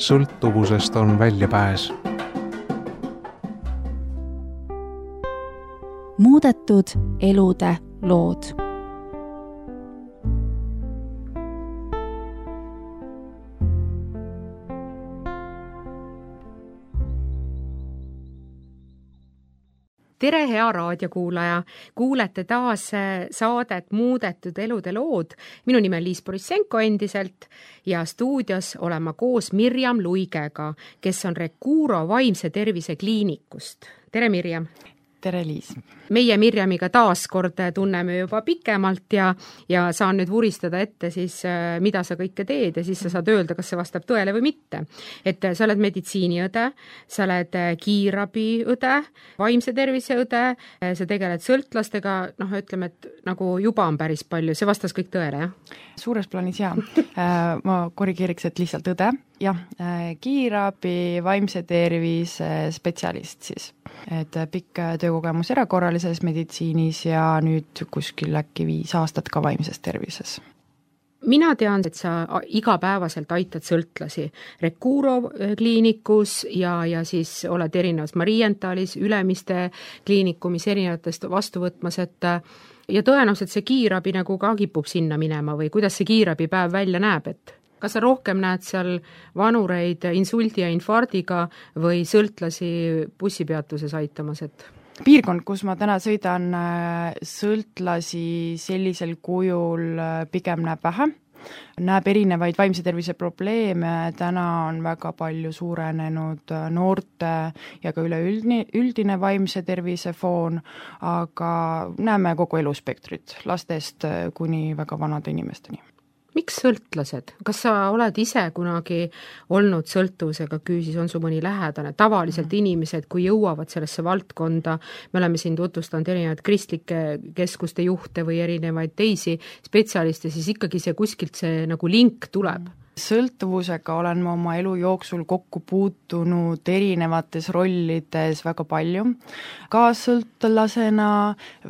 sõltuvusest on väljapääs. Muudetud elude lood. Tere, hea raadiokuulaja! Kuulete taas saadet Muudetud elude lood. Minu nimi on Liis Borissenko endiselt ja stuudios olen ma koos Mirjam Luigega, kes on Recuro vaimse tervise kliinikust. Tere, Mirjam! Tere, Liis! Meie Mirjamiga taas kord tunneme juba pikemalt ja saan nüüd vuristada ette siis, mida sa kõike teed ja siis sa saad öelda, kas see vastab tõele või mitte. Et sa oled meditsiiniõde, sa oled kiirabiõde, vaimse tervise õde, sa tegeled sõltlastega, ütleme, et nagu juba on päris palju, see vastas kõik tõele, jah? Suures plaanis jah. Ma korrigeeriks, et lihtsalt õde. Jah, kiirabi, vaimse tervise spetsialist siis. Et pikk töökogemus erakorralises meditsiinis ja nüüd kuskil äkki 5 aastat ka vaimses tervises. Mina tean, et sa igapäevaselt aitad sõltlasi Recuro kliinikus ja siis oled erinevas Marienthalis, Ülemiste kliinikumis erinevatest vastu võtmas, ja tõenäoliselt see kiirabi nagu ka kipub sinna minema või kuidas see kiirabipäev välja näeb, et kas sa rohkem näed seal vanureid insuldi ja infardiga või sõltlasi bussipeatuses aitamas, et piirkond, kus ma täna sõidan, sõltlasi sellisel kujul pigem näeb vähe. Näeb erinevaid vaimse tervise probleeme, täna on väga palju suurenenud noorte ja ka üleüldine vaimse tervise foon, aga näeme kogu eluspektrit, lastest kuni väga vanade inimesteni. Miks sõltlased? Kas sa oled ise kunagi olnud sõltuvusega küüsis, on su mõni lähedane? Tavaliselt inimesed, kui jõuavad sellesse valdkonda, me oleme siin tutvustanud erinevaid kristlike keskuste juhte või erinevaid teisi spetsialiste, siis ikkagi see kuskilt see nagu link tuleb. Sõltuvusega olen ma oma elu jooksul kokku puutunud erinevates rollides väga palju. Kaassõltlasena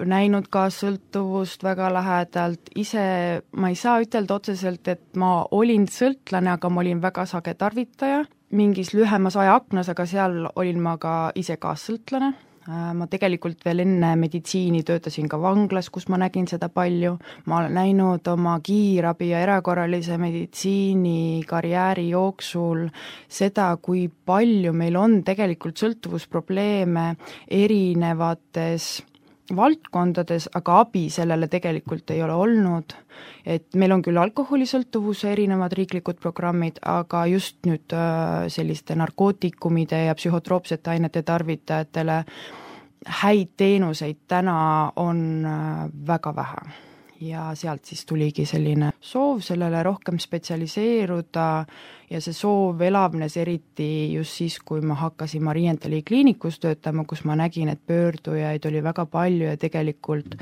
näinud kaassõltuvust väga lähedalt. Ise ma ei saa ütelda otseselt, et ma olin sõltlane, aga ma olin väga sage tarvitaja. Mingis lühemas ajaaknas, aga seal olin ma ka ise kaassõltlane. Ma tegelikult veel enne meditsiini töötasin ka vanglas, kus ma nägin seda palju. Ma olen näinud oma kiirabi ja erakorralise meditsiini karjääri jooksul seda, kui palju meil on tegelikult sõltuvusprobleeme erinevates valdkondades, aga abi sellele tegelikult ei ole olnud. Et meil on küll alkoholisõltuvuse erinevad riiklikud programmid, aga just nüüd selliste narkootikumide ja psühhotroopsete ainete tarvitajatele häid teenuseid täna on väga vähe. Ja sealt siis tuligi selline soov sellele rohkem spetsialiseeruda ja see soov elavnes eriti just siis, kui ma hakkasin Marienthali kliinikus töötama, kus ma nägin, et pöördujaid oli väga palju ja tegelikult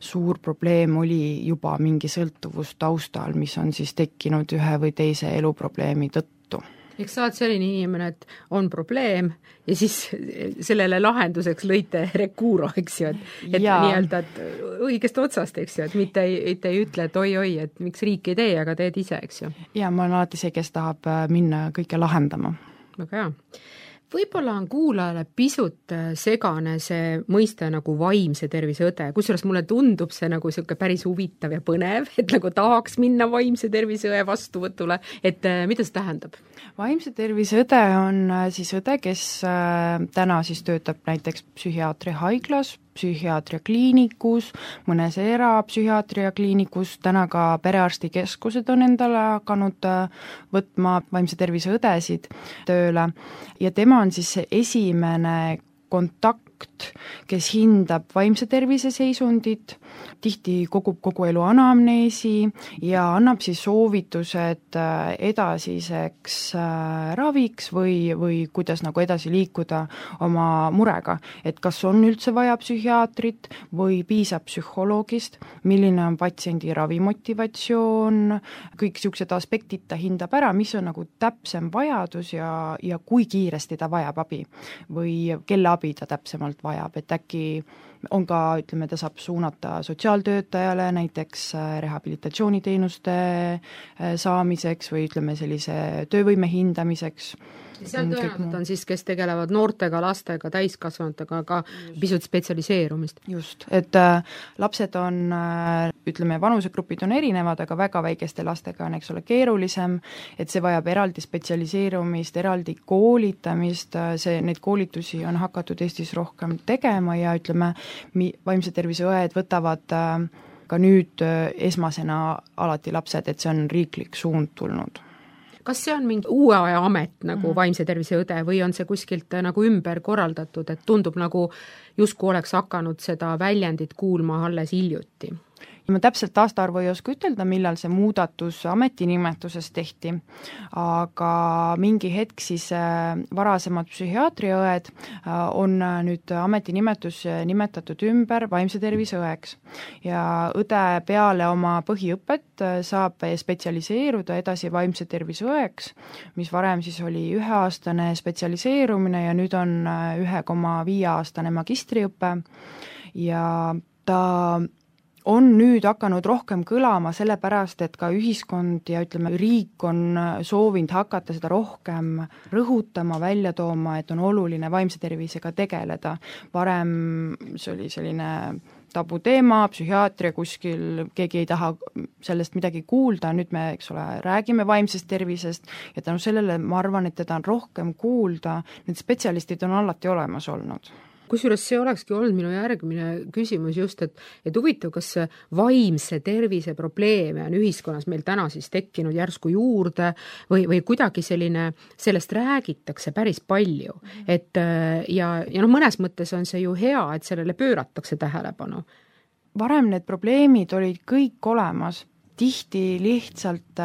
suur probleem oli juba mingi sõltuvus taustal, mis on siis tekkinud ühe või teise eluprobleemi tõttu. Eks sa oled selline inimene, et on probleem ja siis sellele lahenduseks lõite Recuro, eks ju, et nii-öelda et õigest otsast, eks ju, et mitte ei ütle, et oi, et miks riik ei tee, aga teed ise, eks ju. Ja ma olen alati see, kes tahab minna kõike lahendama. Väga hea. Võib-olla on kuulajale pisut segane see mõiste nagu vaimse tervise õde, kusjuures mulle tundub see nagu selline päris huvitav ja põnev, et nagu tahaks minna vaimse tervise õe vastuvõtule, et mida see tähendab? Vaimse tervise õde on siis õde, kes täna siis töötab näiteks psühhiaatria haiglas, psühhiaatria kliinikus, mõnes erapsühhiaatria kliinikus, täna ka perearstikeskused on endale hakanud võtma vaimse tervise õdesid tööle ja tema on siis see esimene kontakt, kes hindab vaimse tervise seisundit, tihti kogub kogu elu anamneesi ja annab siis soovitused edasiseks raviks või kuidas nagu edasi liikuda oma murega, et kas on üldse vaja psühhiaatrit või piisab psühholoogist, milline on patsiendi ravimotivatsioon, kõik niisugused aspektid ta hindab ära, mis on nagu täpsem vajadus ja kui kiiresti ta vajab abi või kelle abi ta täpsemalt vajab, et äkki on ka, ütleme, ta saab suunata sotsiaaltöötajale näiteks rehabilitatsiooniteenuste saamiseks või ütleme sellise töövõime hindamiseks. Ja seal tõenäoliselt on siis, kes tegelevad noortega, lastega, täiskasvanutega, aga pisut spetsialiseerumist. Just, et lapsed on, ütleme, vanusegrupid on erinevad, aga väga väikeste lastega on, eks ole, keerulisem, et see vajab eraldi spetsialiseerumist, eraldi koolitamist, neid koolitusi on hakatud Eestis rohkem tegema ja ütleme, vaimse tervise õed võtavad ka nüüd esmasena alati lapsed, et see on riiklik suund tulnud. Kas see on mingi uue aja amet nagu vaimse tervise õde või on see kuskilt nagu ümber korraldatud, et tundub nagu justkui oleks hakanud seda väljendit kuulma alles hiljuti? Ma täpselt aastaarvu ei oska ütelda, millal see muudatus ametinimetuses tehti, aga mingi hetk siis varasemad psühhiaatriaõed on nüüd ametinimetus nimetatud ümber vaimse tervise õeks. Ja õde peale oma põhiõpet saab spetsialiseeruda edasi vaimse tervise õeks, mis varem siis oli 1-aastane spetsialiseerumine ja nüüd on 1,5-aastane magistriõpe ja ta on nüüd hakanud rohkem kõlama sellepärast, et ka ühiskond ja ütleme, riik on soovinud hakata seda rohkem rõhutama, välja tooma, et on oluline vaimse tervisega tegeleda. Varem see oli selline tabuteema, psühhiaatria kuskil, keegi ei taha sellest midagi kuulda, nüüd me, eks ole, räägime vaimsest tervisest ja tänu sellele ma arvan, et teda on rohkem kuulda, need spetsialistid on alati olemas olnud. Kusjuures see olekski olnud minu järgmine küsimus just, et huvitav, kas vaimse tervise probleeme on ühiskonnas meil täna siis tekkinud järsku juurde või kuidagi sellest räägitakse päris palju. Et, ja mõnes mõttes on see ju hea, et sellele pööratakse tähelepanu. Varem need probleemid olid kõik olemas, tihti lihtsalt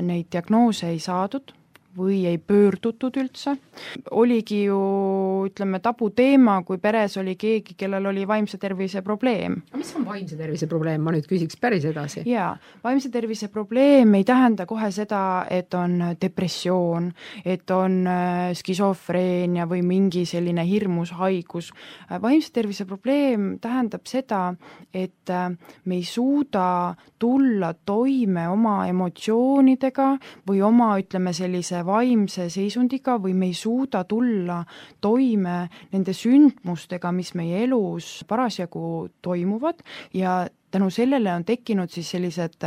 neid diagnoose ei saadud või ei pöördutud üldse. Oligi ju, ütleme, tabuteema, kui peres oli keegi, kellel oli vaimse tervise probleem. Aga mis on vaimse tervise probleem? Ma nüüd küsiks päris edasi. Jaa, vaimse tervise probleem ei tähenda kohe seda, et on depressioon, et on skisofreenia või mingi selline hirmus haigus. Vaimse tervise probleem tähendab seda, et me ei suuda tulla toime oma emotsioonidega või oma, ütleme, sellise vaimse seisundiga või me ei suuda tulla toime nende sündmustega, mis meie elus parasjagu toimuvad ja tänu sellele on tekkinud siis sellised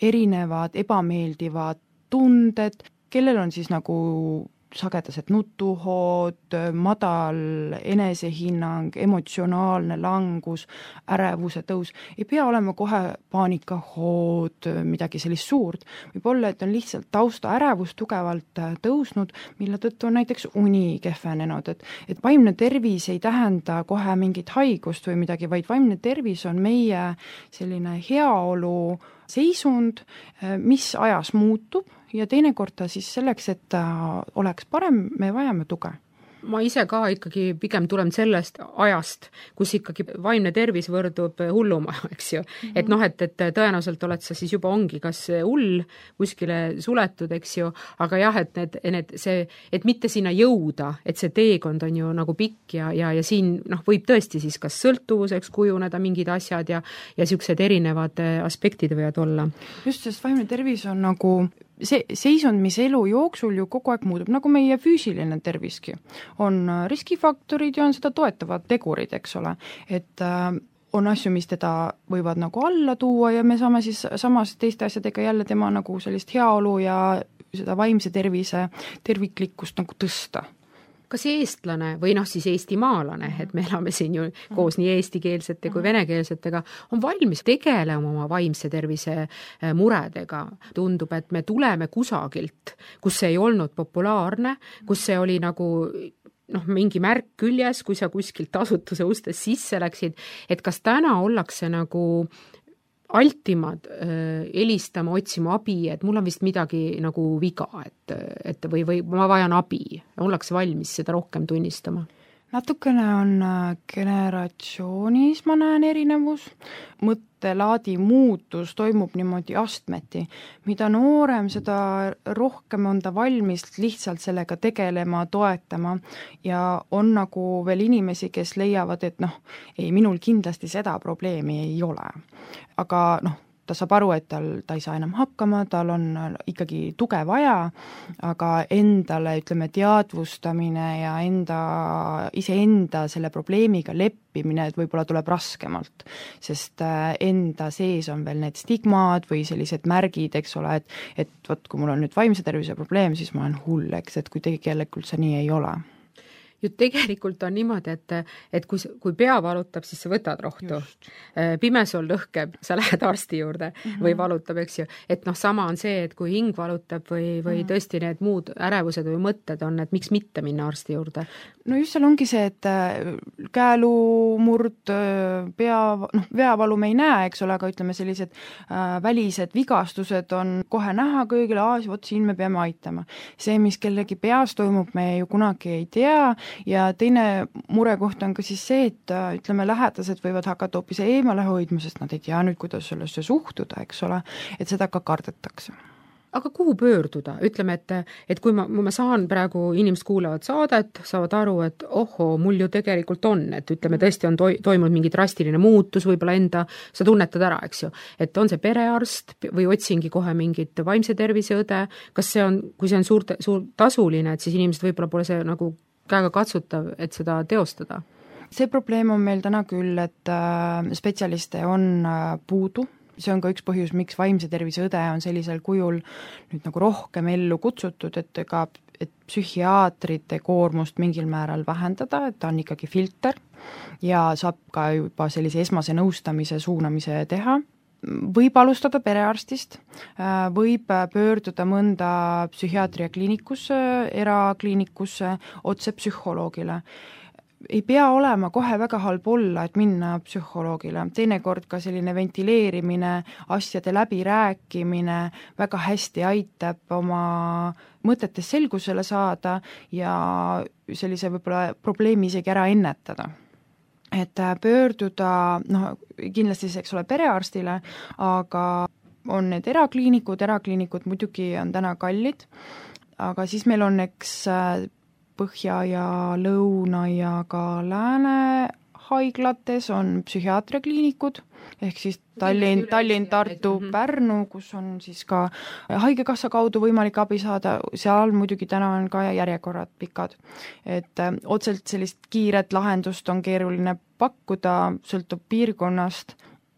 erinevad ebameeldivad tunded, kellel on siis nagu sagedased nutuhood, madal enesehinnang, emotsionaalne langus, ärevuse tõus. Ei pea olema kohe paanikahood, midagi sellist suurt. Võib olla, et on lihtsalt tausta ärevus tugevalt tõusnud, mille tõttu on näiteks uni kehvenenud. Et vaimne tervis ei tähenda kohe mingit haigust või midagi, vaid vaimne tervis on meie selline heaolu seisund, mis ajas muutub ja teinekord ta siis selleks, et ta oleks parem, me vajame tuge. Ma ise ka ikkagi pigem tulen sellest ajast, kus ikkagi vaimne tervis võrdub hulluma, eks ju. Et et tõenäoliselt oled sa siis juba ongi kas hull kuskile suletud, eks ju, aga jah, et mitte sinna jõuda, et see teekond on ju nagu pikk ja siin võib tõesti siis kas sõltuvuseks kujuneda mingid asjad ja siuksed erinevad aspektid võivad olla. Just, sest vaimne tervis on nagu see seisund, mis elu jooksul ju kogu aeg muutub, nagu meie füüsiline terviski. On riskifaktorid ja on seda toetavad tegurid, eks ole. Et on asju, mis teda võivad nagu alla tuua ja me saame siis samas teiste asjadega jälle tema nagu sellist heaolu ja seda vaimse tervise terviklikkust nagu tõsta. Kas eestlane või siis eestimaalane, et me elame siin ju koos nii eestikeelsete kui venekeelsetega, on valmis tegelema oma vaimse tervise muredega. Tundub, et me tuleme kusagilt, kus see ei olnud populaarne, kus see oli nagu mingi märk küljes, kui sa kuskilt asutuse ustest sisse läksid, et kas täna ollakse nagu altimad helistama, otsima abi, et mul on vist midagi nagu viga, et või ma vajan abi, ollakse valmis seda rohkem tunnistama? Natukene on generatsioonis, ma näen erinevus. mõttelaadi muutus toimub niimoodi astmeti. Mida noorem, seda rohkem on ta valmis lihtsalt sellega tegelema, toetama ja on nagu veel inimesi, kes leiavad, et ei, minul kindlasti seda probleemi ei ole. Aga ta saab aru, et ta ei saa enam hakkama, tal on ikkagi tuge vaja, aga endale, ütleme, teadvustamine ja iseenda selle probleemiga leppimine, et võib-olla tuleb raskemalt, sest enda sees on veel need stigmad või sellised märgid, eks ole, et võt, kui mul on nüüd vaimse tervise probleem, siis ma olen hull, eks, et kui tegelikult see nii ei ole. Ju tegelikult on niimoodi, et kui pea valutab, siis sa võtad rohtu. Pimesool lõhkeb, sa lähed arsti juurde või valutab, eks ju. Et sama on see, et kui hing valutab või tõesti need muud ärevused või mõtted on, et miks mitte minna arsti juurde? No just seal ongi see, et käelumurd, veavalu me ei näe, eks ole, aga ütleme sellised välised vigastused on kohe näha kõigile, vot siin me peame aitama. See, mis kellegi peas toimub, me ju kunagi ei tea ja teine murekoht on ka siis see, et ütleme, lähedased võivad hakata hoopis eemale hoidma, sest nad ei tea nüüd, kuidas sellesse suhtuda, eks ole, et seda ka kardetakse. Aga kuhu pöörduda? Ütleme, et kui ma saan praegu, inimesed kuulavad saadet, saavad aru, et mul ju tegelikult on, et ütleme, tõesti on toimunud mingi drastiline muutus, võib-olla sa tunnetad ära, eks ju, et on see perearst või otsingi kohe mingit vaimse tervise õde, kas see on, kui see on suur tasuline, et siis inimesed võib-olla pole see nagu käega katsutav, et seda teostada? See probleem on meil täna küll, et spetsialiste on puudu. See on ka üks põhjus, miks vaimse tervise õde on sellisel kujul nüüd nagu rohkem ellu kutsutud, et psühhiaatrite koormust mingil määral vähendada, et ta on ikkagi filter ja saab ka juba sellise esmase nõustamise suunamise teha. Võib alustada perearstist, võib pöörduda mõnda psühhiaatria kliinikusse, erakliinikusse, otse psühholoogile. Ei pea olema kohe väga halb olla, et minna psühholoogile. Teinekord ka selline ventileerimine, asjade läbirääkimine väga hästi aitab oma mõtetes selgusele saada ja sellise võib-olla probleemi isegi ära ennetada. Et pöörduda, kindlasti see, eks ole, perearstile, aga on need erakliinikud muidugi on täna kallid, aga siis meil on Põhja ja Lõuna ja ka Lääne haiglates on psühhiaatriakliinikud, ehk siis Tallinn, Tartu, Pärnu, kus on siis ka haigekassa kaudu võimalik abi saada, seal muidugi täna on ka järjekorrad pikad. Et otselt sellist kiiret lahendust on keeruline pakkuda, sõltub piirkonnast,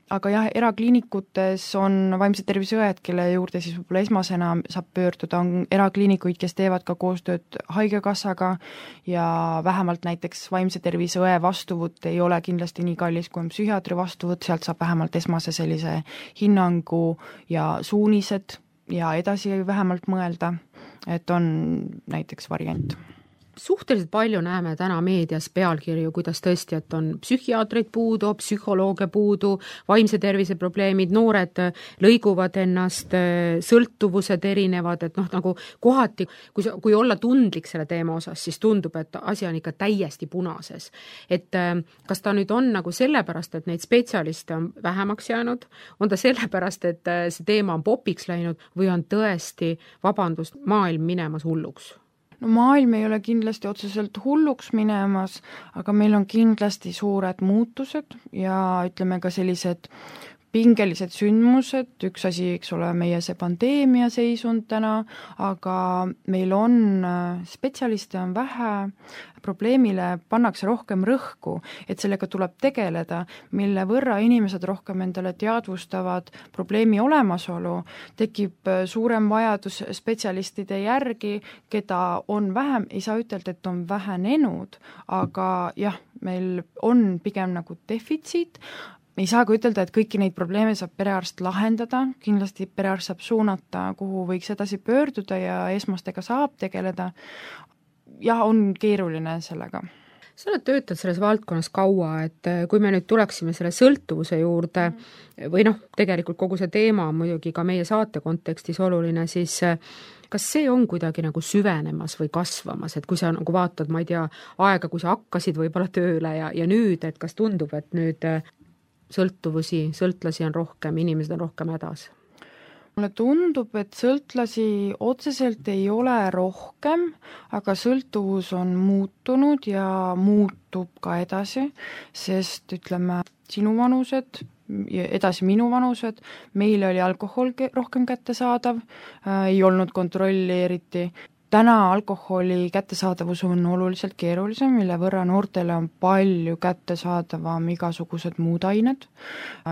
aga jah, erakliinikutes on vaimse tervise õed, kelle juurde siis võib-olla esmasena saab pöörduda, on erakliinikuid, kes teevad ka koostööd haigekassaga ja vähemalt näiteks vaimse tervise õe vastuvõtt ei ole kindlasti nii kallis, kui on psühhiaatri vastuvõtt, sealt saab vähemalt esmase sellise hinnangu ja suunised ja edasi vähemalt mõelda, et on näiteks variant. Suhteliselt palju näeme täna meedias pealkirju, kuidas tõesti, et on psühhiaatreid puudu, psühholooge puudu, vaimse tervise probleemid, noored lõiguvad ennast, sõltuvused erinevad, et nagu kohati, kui olla tundlik selle teema osas, siis tundub, et asi on ikka täiesti punases. Et kas ta nüüd on nagu sellepärast, et neid spetsialiste on vähemaks jäänud, on ta sellepärast, et see teema on popiks läinud või on tõesti, vabandust, maailm minemas hulluks? No maailm ei ole kindlasti otseselt hulluks minemas, aga meil on kindlasti suured muutused ja ütleme ka sellised pingelised sündmused, üks asi, eks ole, meie see pandeemia seisund täna, aga meil on spetsialiste on vähe, probleemile pannakse rohkem rõhku, et sellega tuleb tegeleda, mille võrra inimesed rohkem endale teadvustavad probleemi olemasolu, tekib suurem vajadus spetsialistide järgi, keda on vähem, ei saa ütelda, et on vähenenud, aga jah, meil on pigem nagu defitsiit. Me ei saa ka ütelda, et kõiki neid probleeme saab perearst lahendada, kindlasti perearst saab suunata, kuhu võiks edasi pöörduda ja esmastega saab tegeleda. Jah, on keeruline sellega. Sa oled töötanud selles valdkonnas kaua, et kui me nüüd tuleksime selle sõltuvuse juurde või tegelikult kogu see teema on muidugi ka meie saate kontekstis oluline, siis kas see on kuidagi nagu süvenemas või kasvamas, et kui sa nagu vaatad, ma ei tea, aega, kui sa hakkasid võib-olla tööle ja nüüd, et kas tundub, et nüüd sõltlasi on rohkem, inimesed on rohkem hädas? Mulle tundub, et sõltlasi otseselt ei ole rohkem, aga sõltuvus on muutunud ja muutub ka edasi, sest ütleme, sinu vanused ja edasi minu vanused, meil oli alkohol rohkem kättesaadav, ei olnud kontrolli eriti. Täna alkoholi kättesaadavus on oluliselt keerulisem, mille võrra noortele on palju kättesaadavam igasugused muud ained.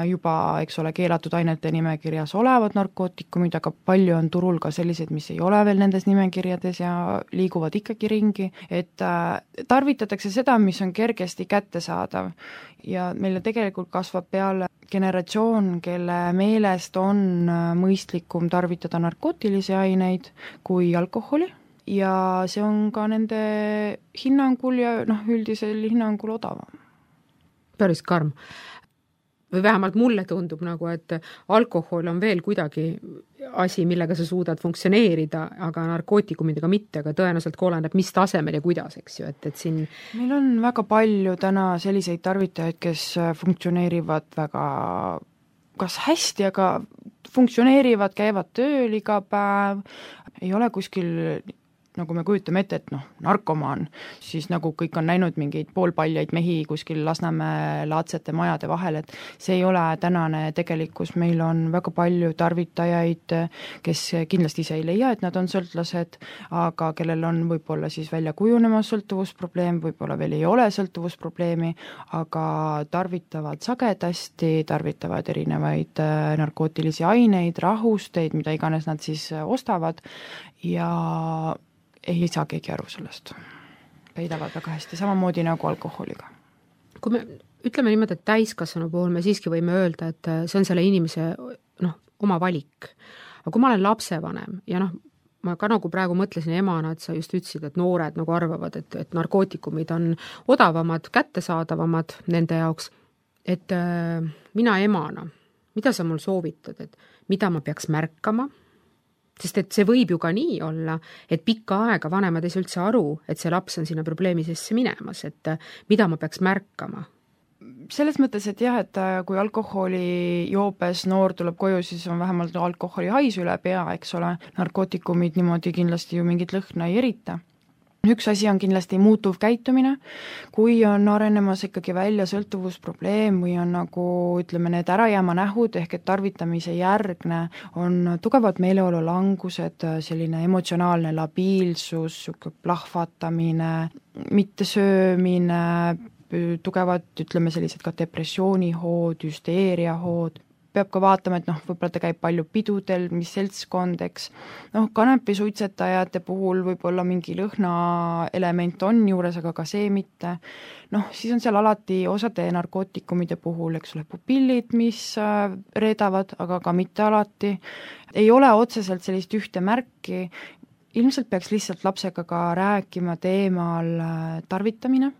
Juba, eks ole, keelatud ainete nimekirjas olevad narkootikumid, aga palju on turul ka sellised, mis ei ole veel nendes nimekirjades ja liiguvad ikkagi ringi. Et tarvitatakse seda, mis on kergesti kättesaadav ja meile tegelikult kasvab peale generatsioon, kelle meelest on mõistlikum tarvitada narkootilisi aineid kui alkoholi. Ja see on ka nende hinnangul ja üldisel hinnangul odavam. Päris karm. Või vähemalt mulle tundub nagu, et alkohol on veel kuidagi asi, millega sa suudad funktsioneerida, aga narkootikumidega mitte, aga tõenäoliselt oleneb, mis tasemel ja kuidas, eks ju, et siin... Meil on väga palju täna selliseid tarvitajaid, kes funktsioneerivad väga kas hästi, aga funktsioneerivad, käivad tööl iga päev, ei ole kuskil... nagu me kujutame ette, et narkomaan, siis nagu kõik on näinud mingeid poolpaljaid mehi kuskil Lasnamäe laadsete majade vahel, et see ei ole tänane tegelikkus, meil on väga palju tarvitajaid, kes kindlasti ise ei leia, et nad on sõltlased, aga kellel on võib-olla siis välja kujunemas sõltuvusprobleem, võib-olla veel ei ole sõltuvusprobleemi, aga tarvitavad sagedasti, tarvitavad erinevaid narkootilisi aineid, rahusteid, mida iganes nad siis ostavad ja ei saa keegi aru sellest. Peidavad väga hästi, samamoodi nagu alkoholiga. Kui me ütleme niimoodi, et täiskasvanu puhul me siiski võime öelda, et see on selle inimese oma valik. Aga kui ma olen lapsevanem ja ma ka nagu praegu mõtlesin emana, et sa just ütlesid, et noored nagu arvavad, et narkootikumid on odavamad, kättesaadavamad nende jaoks, et mina emana, mida sa mul soovitad, et mida ma peaks märkama? Sest et see võib ju ka nii olla, et pikka aega vanemad ei saa üldse aru, et see laps on sinna probleemi sisse minemas, et mida ma peaks märkama? Selles mõttes, et jah, et kui alkoholi joobes noor tuleb koju, siis on vähemalt alkoholi hais üle pea, eks ole, narkootikumid niimoodi kindlasti ju mingit lõhna ei erita. Üks asi on kindlasti muutuv käitumine, kui on arenemas ikkagi välja sõltuvusprobleem või on nagu, ütleme, need ärajääma nähud ehk et tarvitamise järgne on tugevad meeleolulangused, selline emotsionaalne labiilsus, plahvatamine, mittesöömine, tugevad, ütleme, sellised ka depressioonihood, hüsteeriahood, peab ka vaatama, et võib-olla ta käib palju pidudel, mis seltskond, eks. Kanepisuitsetajate puhul võib-olla mingi lõhnaelement on juures, aga ka see mitte. Siis on seal alati osade narkootikumide puhul, eks ole, pupillid, mis reedavad, aga ka mitte alati. Ei ole otseselt sellist ühte märki. Ilmselt peaks lihtsalt lapsega ka rääkima teemal tarvitamine,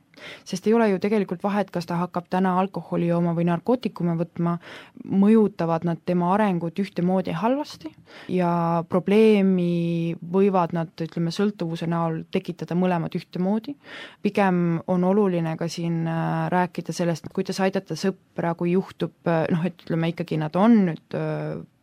sest ei ole ju tegelikult vahet, kas ta hakkab täna alkoholi jooma või narkootikume võtma, mõjutavad nad tema arengut ühtemoodi halvasti ja probleemi võivad nad, ütleme, sõltuvuse näol tekitada mõlemad ühtemoodi. Pigem on oluline ka siin rääkida sellest, kuidas aidata sõpra, kui juhtub, et ütleme ikkagi nad on nüüd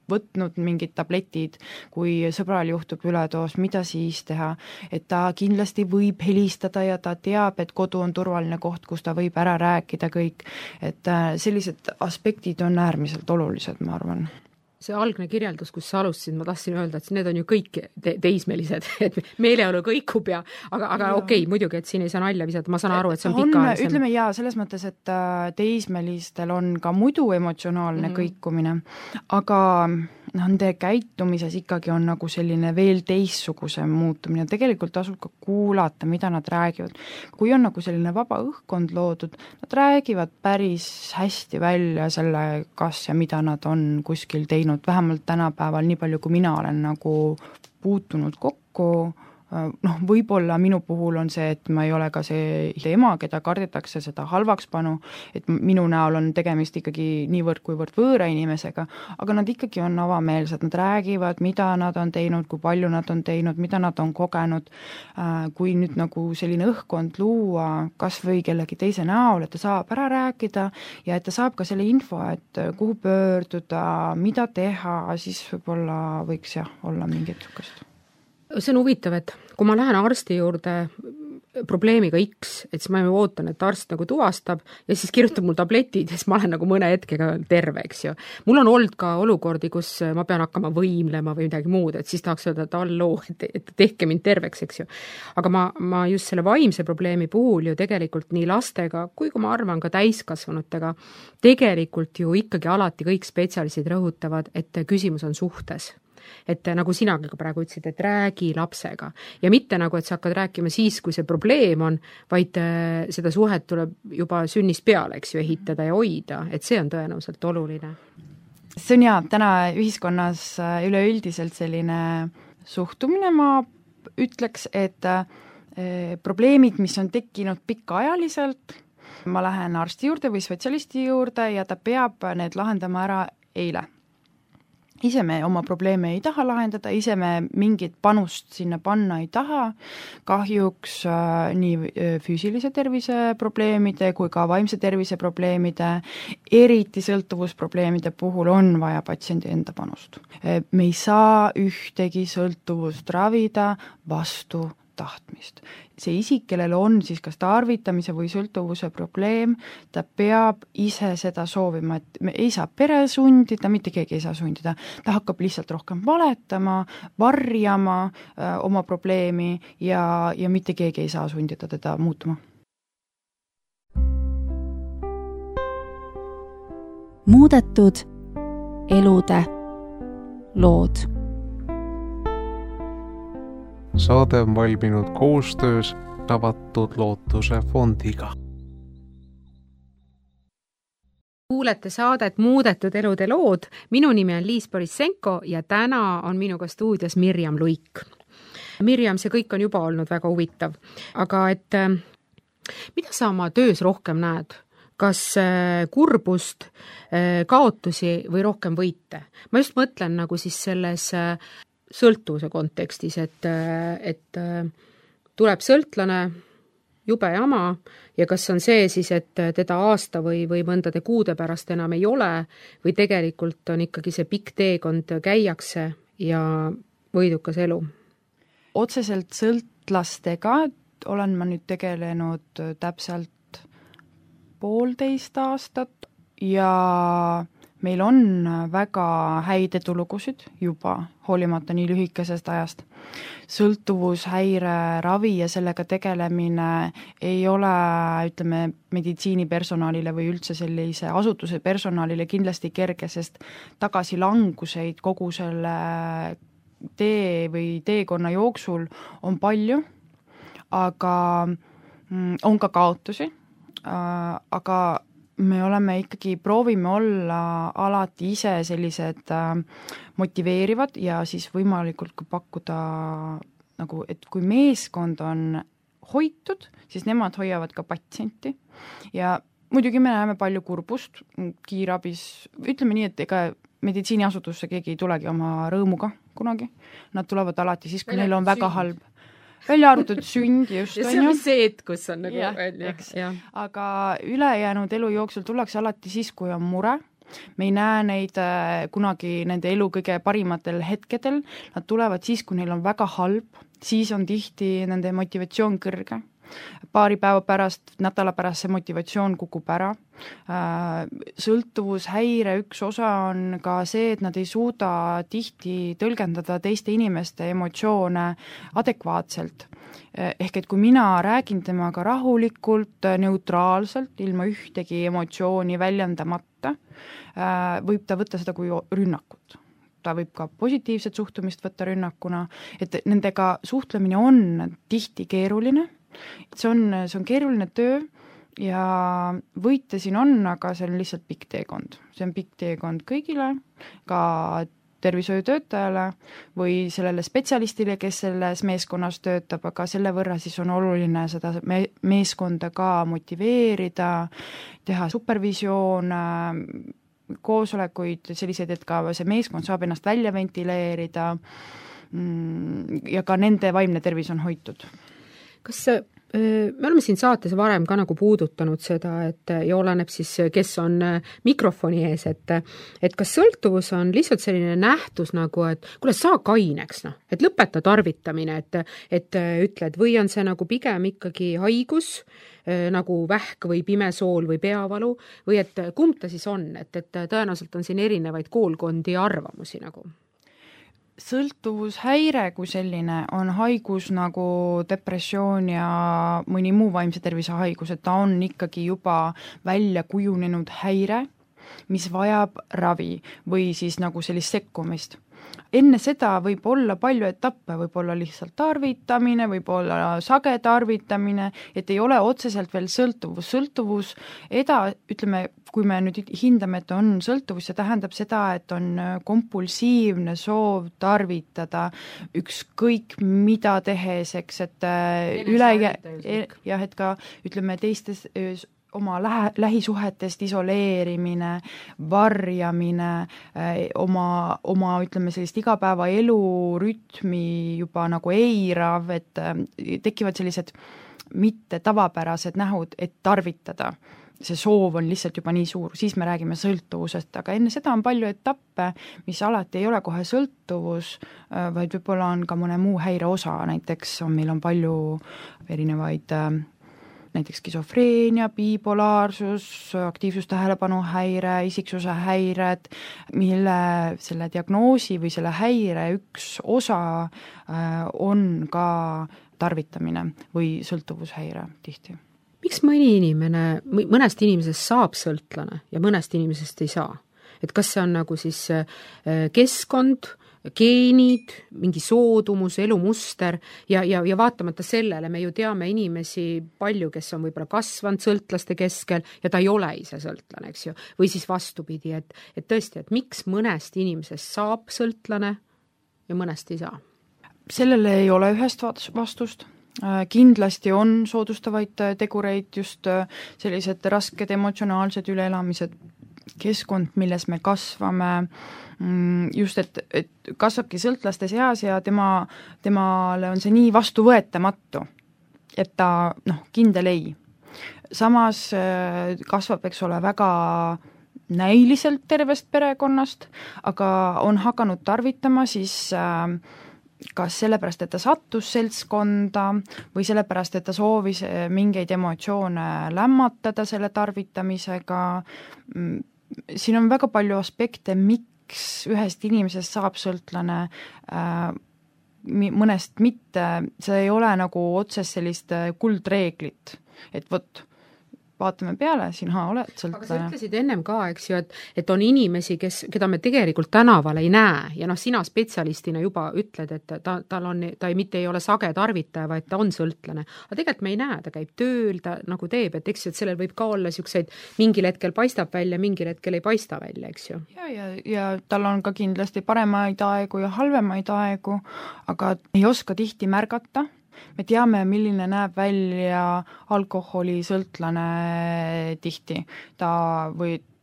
võtnud mingid tabletid, kui sõbral juhtub üledoos, mida siis teha, et ta kindlasti võib helistada ja ta teab, et kodu on turvaline koht, kus ta võib ära rääkida kõik, et sellised aspektid on äärmiselt olulised, ma arvan. See algne kirjeldus, kus sa alustasid, ma tahtsin öelda, et need on ju kõik teismelised, et meeleolu kõikub aga okei, muidugi, et siin ei saa nalja visata, ma saan aru, et see on pikaajalisem. Ütleme selles mõttes, et teismelistel on ka muidu emotsionaalne kõikumine, aga nende käitumises ikkagi on nagu selline veel teistsuguse muutumine, tegelikult tasub ka kuulata, mida nad räägivad. Kui on nagu selline vaba õhkkond loodud, nad räägivad päris hästi välja selle, kas ja mida nad on kuskil teinud, vähemalt tänapäeval nii palju, kui mina olen nagu puutunud kokku võib-olla minu puhul on see, et ma ei ole ka see ema, keda kardetakse seda halvakspanu, et minu näol on tegemist ikkagi niivõrd kuivõrd võõra inimesega, aga nad ikkagi on avameelsed, nad räägivad, mida nad on teinud, kui palju nad on teinud, mida nad on kogenud, kui nüüd nagu selline õhkkond luua kas või kellegi teise näol, et ta saab ära rääkida ja et ta saab ka selle info, et kuhu pöörduda, mida teha, siis võib-olla võiks olla mingit niisugust. See on huvitav, et kui ma lähen arsti juurde probleemiga X, et siis ma ootan, et arst nagu tuvastab ja siis kirjutab mul tabletid ja siis ma olen nagu mõne hetkega terve, eks ju. Mul on olnud ka olukordi, kus ma pean hakkama võimlema või midagi muud, et siis tahaks öelda, et alloo, et tehke mind terveks, eks ju. Aga ma just selle vaimse probleemi puhul ju tegelikult nii lastega, kui ma arvan ka täiskasvanutega, tegelikult ju ikkagi alati kõik spetsialistid rõhutavad, et küsimus on suhtes. Et nagu sinagi ka praegu ütlesid, et räägi lapsega ja mitte nagu, et sa hakkad rääkima siis, kui see probleem on, vaid seda suhet tuleb juba sünnist peale, eks ju, ehitada ja hoida, et see on tõenäoliselt oluline. See on täna ühiskonnas üleüldiselt selline suhtumine, ma ütleks, et probleemid, mis on tekkinud pikaajaliselt, ma lähen arsti juurde või spetsialisti juurde ja ta peab need lahendama ära eile. Ise me oma probleeme ei taha lahendada, ise me mingit panust sinna panna ei taha, kahjuks nii füüsilise tervise probleemide kui ka vaimse tervise probleemide, eriti sõltuvusprobleemide puhul on vaja patsiendi enda panust. Me ei saa ühtegi sõltuvust ravida vastu tahtmist. See isik, kellel on siis kas tarvitamise või sõltuvuse probleem, ta peab ise seda soovima, et me ei saa pere sundida, mitte keegi ei saa sundida, ta hakkab lihtsalt rohkem valetama, varjama oma probleemi ja mitte keegi ei saa sundida teda muutuma. Muudetud elude lood. Saade on valminud koostöös Avatud Lootuse fondiga. Kuulete saadet Muudetud elude lood. Minu nimi on Liis Borissenko ja täna on minuga stuudios Mirjam Luik. Mirjam, see kõik on juba olnud väga huvitav. Aga et mida sa oma töös rohkem näed? Kas kurbust, kaotusi või rohkem võite? Ma just mõtlen nagu siis selles sõltuvuse kontekstis, et tuleb sõltlane, jube jama ja kas on see siis, et teda aasta või mõndade kuude pärast enam ei ole või tegelikult on ikkagi see pikk teekond käiakse ja võidukas elu? Otseselt sõltlastega olen ma nüüd tegelenud täpselt 1,5 aastat ja meil on väga häid edulugusid juba, hoolimata nii lühikesest ajast. Sõltuvushäire ravi ja sellega tegelemine ei ole, ütleme, meditsiinipersonalile või üldse sellise asutuse personalile kindlasti kerge, sest tagasilanguseid kogu selle tee või teekonna jooksul on palju, aga on ka kaotusi, aga me oleme ikkagi, proovime olla alati ise sellised motiveerivad ja siis võimalikult kui pakkuda nagu, et kui meeskond on hoitud, siis nemad hoiavad ka patsienti ja muidugi me näeme palju kurbust kiirabis, ütleme nii, et ega meditsiiniasutusse keegi ei tulegi oma rõõmuga kunagi, nad tulevad alati siis, kui neil on väga halb. Välja arvatud sünd just. Ja see on see, kus on nagu välja. Aga ülejäänud elu jooksul tullakse alati siis, kui on mure. Me ei näe neid kunagi nende elu kõige parimatel hetkedel. Nad tulevad siis, kui neil on väga halb. Siis on tihti nende motivatsioon kõrge. Paari päeva pärast, nädala pärast see motivatsioon kukub ära. Sõltuvushäire üks osa on ka see, et nad ei suuda tihti tõlgendada teiste inimeste emotsioone adekvaatselt. Ehk et kui mina räägin temaga rahulikult, neutraalselt, ilma ühtegi emotsiooni väljendamata, võib ta võtta seda kui rünnakut. Ta võib ka positiivset suhtumist võtta rünnakuna, et nendega suhtlemine on tihti keeruline. See on keeruline töö ja võite siin on, aga see on lihtsalt pikk teekond. See on pikk teekond kõigile, ka tervishoiutöötajale või sellele spetsialistile, kes selles meeskonnas töötab, aga selle võrra siis on oluline seda meeskonda ka motiveerida, teha supervisioon, koosolekuid, selliseid, et ka see meeskond saab ennast välja ventileerida ja ka nende vaimne tervis on hoitud. Kas me oleme siin saates varem ka nagu puudutanud seda, et ja oleneb siis, kes on mikrofoni ees, et kas sõltuvus on lihtsalt selline nähtus nagu, et kuule, saa kaineks, noh, et lõpeta tarvitamine, et ütled, või on see nagu pigem ikkagi haigus, nagu vähk või pimesool või peavalu, või et kumb ta siis on, et tõenäoliselt on siin erinevaid koolkondi ja arvamusi nagu? Sõltuvushäire kui selline on haigus nagu depressioon ja mõni muu vaimse tervise haigus, et ta on ikkagi juba välja kujunenud häire, mis vajab ravi või siis nagu sellist sekkumist. Enne seda võib olla palju etappe, võib olla lihtsalt tarvitamine, võib olla sage tarvitamine, et ei ole otseselt veel sõltuvus, ütleme, kui me nüüd hindame, et on sõltuvus, see tähendab seda, et on kompulsiivne soov tarvitada ükskõik mida tehes, eks, et et ka ütleme teistes oma lähisuhetest isoleerimine, varjamine, oma ütleme sellist igapäeva elurütmi juba nagu eirav, et tekivad sellised mitte tavapärased nähud, et tarvitada. See soov on lihtsalt juba nii suur, siis me räägime sõltuvusest, aga enne seda on palju etappe, mis alati ei ole kohe sõltuvus, vaid võib-olla on ka mõne muu häire osa, näiteks meil on palju erinevaid näiteks skisofreenia, bipolaarsus, aktiivsustähelepanuhäire, isiksuse häired, mille selle diagnoosi või selle häire üks osa on ka tarvitamine või sõltuvushäire tihti. Miks mõnest inimesest saab sõltlane ja mõnest inimesest ei saa? Et kas see on nagu siis keskkond, geenid, mingi soodumus, elumuster ja vaatamata sellele me ju teame inimesi palju, kes on võib-olla kasvanud sõltlaste keskel ja ta ei ole ise sõltlane, eks ju, või siis vastupidi, et tõesti, et miks mõnest inimesest saab sõltlane ja mõnest ei saa? Sellele ei ole ühest vastust. Kindlasti on soodustavaid tegureid, just sellised rasked emotsionaalsed üleelamised, keskkond, milles me kasvame, just et kasvabki sõltlaste seas ja temale on see nii vastuvõetamatu, et ta kindel ei. Samas kasvab, eks ole, väga näiliselt tervest perekonnast, aga on hakanud tarvitama siis kas sellepärast, et ta sattus seltskonda või sellepärast, et ta soovis mingeid emotsioone lämmatada selle tarvitamisega. Siin on väga palju aspekte, miks ühest inimesest saab sõltlane, mõnest mitte, see ei ole nagu otsest sellist kuldreeglit, et vot, vaatame peale, sina oled sõltlane. Aga sa ütlesid ennem ka, eks ju, et on inimesi, keda me tegelikult tänaval ei näe ja sina spetsialistina juba ütled, et ta mitte ei ole sage tarvitaja, vaid ta on sõltlane. Aga tegelikult me ei näe, ta käib tööl, ta nagu teeb, et eks ju, et sellel võib ka olla siukseid, mingil hetkel paistab välja, mingil hetkel ei paista välja, eks ju. Ja tal on ka kindlasti paremaid aegu ja halvemaid aegu, aga ei oska tihti märgata. Me teame, milline näeb välja alkoholisõltlane tihti.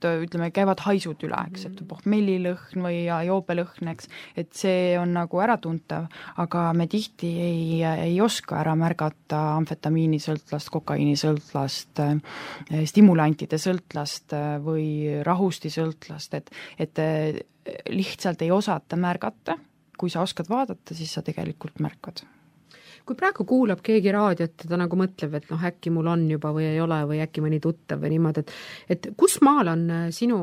Ütleme, käivad haisud üle, eks, et pohmellilõhn või joobelõhn, eks, et see on nagu äratuntav, aga me tihti ei oska ära märgata amfetamiinisõltlast, kokaiinisõltlast, stimulantide sõltlast või rahustisõltlast, et lihtsalt ei osata märgata. Kui sa oskad vaadata, siis sa tegelikult märkad. Kui praegu kuulab keegi raadiot, ta nagu mõtleb, et äkki mul on juba või ei ole või äkki mõni tuttav või niimoodi, et kus maal on sinu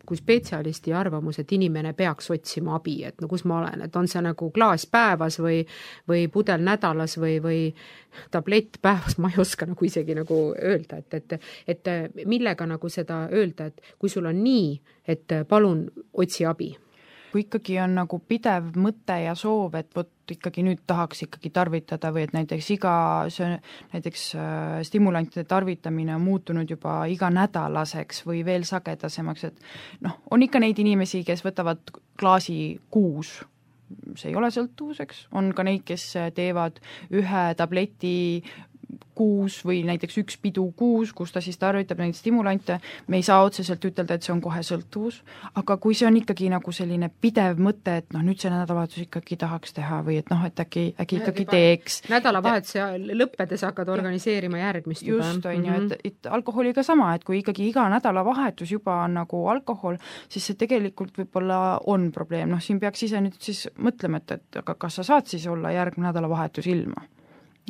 kui spetsialisti arvamus, et inimene peaks otsima abi, et kus ma olen, et on see nagu klaas päevas või pudel nädalas või tablett päevas, ma ei oska nagu isegi nagu öelda, et millega nagu seda öelda, et kui sul on nii, et palun otsi abi. kui ikkagi on nagu pidev mõte ja soov, et vot ikkagi nüüd tahaks ikkagi tarvitada või et näiteks stimulantide tarvitamine on muutunud juba iganädalaseks või veel sagedasemaks, et on ikka neid inimesi, kes võtavad klaasi kuus, see ei ole sõltuvuseks, on ka neid, kes teevad ühe tableti kuus või näiteks üks pidu kuus, kus ta siis tarvitab neid stimulante, me ei saa otseselt ütelda, et see on kohe sõltuvus, aga kui see on ikkagi nagu selline pidev mõte, et nüüd see nädalavahetus ikkagi tahaks teha või et et äkki ikkagi teeks. Nädalavahetuse lõppedes hakkad organiseerima järgmist juba. Just, on ju, et alkoholiga sama, et kui ikkagi iga nädalavahetus juba on nagu alkohol, siis see tegelikult võib-olla on probleem, siin peaks ise nüüd siis mõtlema, et aga kas sa saad siis olla järgmine nädalavahetus ilma?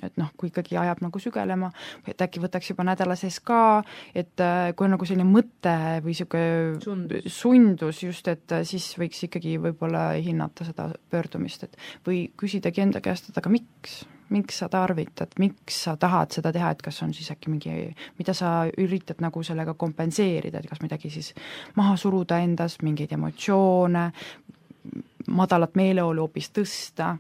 Et kui ikkagi ajab nagu sügelema, et äkki võtaks juba nädala sees ka, et kui on nagu selline mõte või selline sundus just, et siis võiks ikkagi võib-olla hinnata seda pöördumist, et või küsidagi enda käest, et aga miks sa tarvitad, miks sa tahad seda teha, et kas on siis äkki mida sa üritad nagu sellega kompenseerida, et kas midagi siis maha suruda endas, mingeid emotsioone, madalat meeleolu hoopis tõsta.